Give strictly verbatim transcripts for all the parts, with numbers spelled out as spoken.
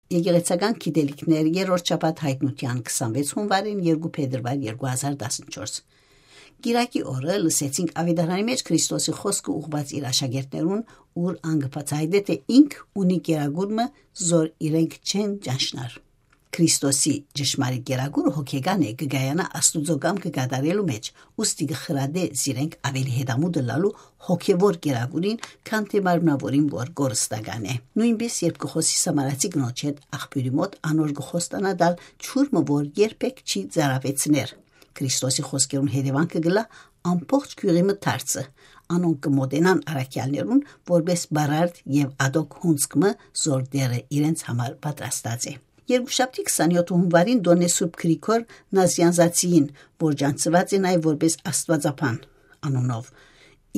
Եկեղեցական գիտելիքներ, երրորդ շաբաթ յայտնութեան, քսանվեց հունվարին, երկու փետրուար երկու հազար տասնչորս։ Կիրակի օրը լսեցինք աւետարանի մէջ Քրիստոսի խօսքը ուղղուած իր աշակերտներուն, ուր ան կը բացայայտէ, թէ ինք ունի կերակուրը, զոր իրենք չեն ճանչնար։ Քրիստոսի ճշմարիտ կերակուրը հոգեկան է, կը կայանայ Աստուծոյ կամքը կատարելու մէջ, ուստի կը խրատէ զիրենք աւելի հետամուտ ըլլալու հոգեվոր կերակուրին, քան թէ մարմնաւորին, որ կորստական է։ Նոյնպէս, երբ կը խօսի սամարացի կնոջ հետ աղբիւրի մօտ, անոր կը խոստանայ տալ ջուր մը, որ երբեք չի ծարաւեցներ։ Քրիստոսի խօսքերուն հետեւանքը կ'ըլլայ ամբողջ գիւղի մը դարձը։ Անոնք կը մօտենան առաքեալներուն, որպէս պարարտ եւ ատոք հունձք մը, զոր Տէրը իրենց համար պատրաստած է։ Երկուշաբթի, քսանյոթ հունուարին, տօնն է Սուրբ Գրիգոր Նազիանզացիին, որ ճանչցուած է նաեւ որպէս Աստուածաբան անունով,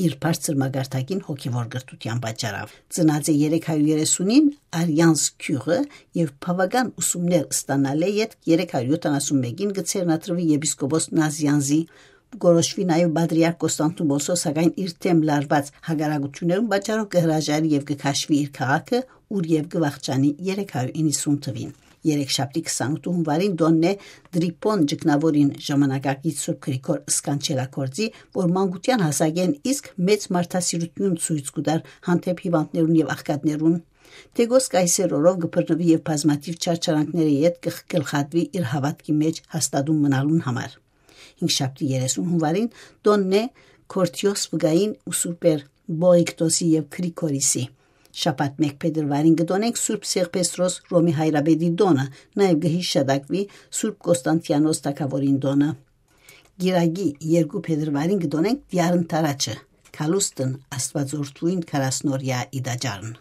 իր բարձր մակարդակին հոգեվոր կրթութեան պատճառաւ։ Ծնած է երեք հարյուր երեսունին Արիանզ գիւղը եւ բաւական ուսումներ ստանալէ ետք, երեք հարյուր յոթանասուն մէկին կը ձեռնադրուի եպիսկոպոս Նազիանզի, կորոշուի նաեւ պատրիարք Կոստանտինոպոլսով, սակայն իր դէմ լարուած հակառակութիւններուն պատճառով կը հրաժարի եւ կը քաշուի իր քաղաքը, ուր եւ կը վախճանի երեք հարյուր իննսուն թուին։ Երեքշաբթի, քսանութ հունուարին, տօնն է Տրիփոն ճգնաւորին, ժամանակակից Սուրբ Գրիգոր Սկանչելագործի, որ մանկութեան հասակէն իսկ մեծ մարդասիրութիւն ցոյց կու տար հանդէպ հիւանդներուն եւ աղքատներուն։ Թեգոս Կայսեր օրով կը բռնուի եւ բազմաթիւ չարչարանքների հետ կը գլխատուի իր հաւատքի մէջ հաստատուն մնալուն համար։ Հինգշաբթի, երեսուն հունուարին, տօնն է Քորթիոս վկային ու Սուրբեր Բողիկտոսի եւ Գրիգորիսի։ Շաբաթ, մէկ փետրուարին, կը տօնենք Սուրբ Սեղբեսրոս Ռոմի հայրապետի տօնը, նաեւ կը հիշատակուի Սուրբ Կոստանտիանոս թագաւորին տօնը։ Կիրակի, երկու փետրուարին, կը տօնենք Տիարն Թարաչը, Քալուստն Աստուածորդուին քառասնօրեայ ի տաճարն։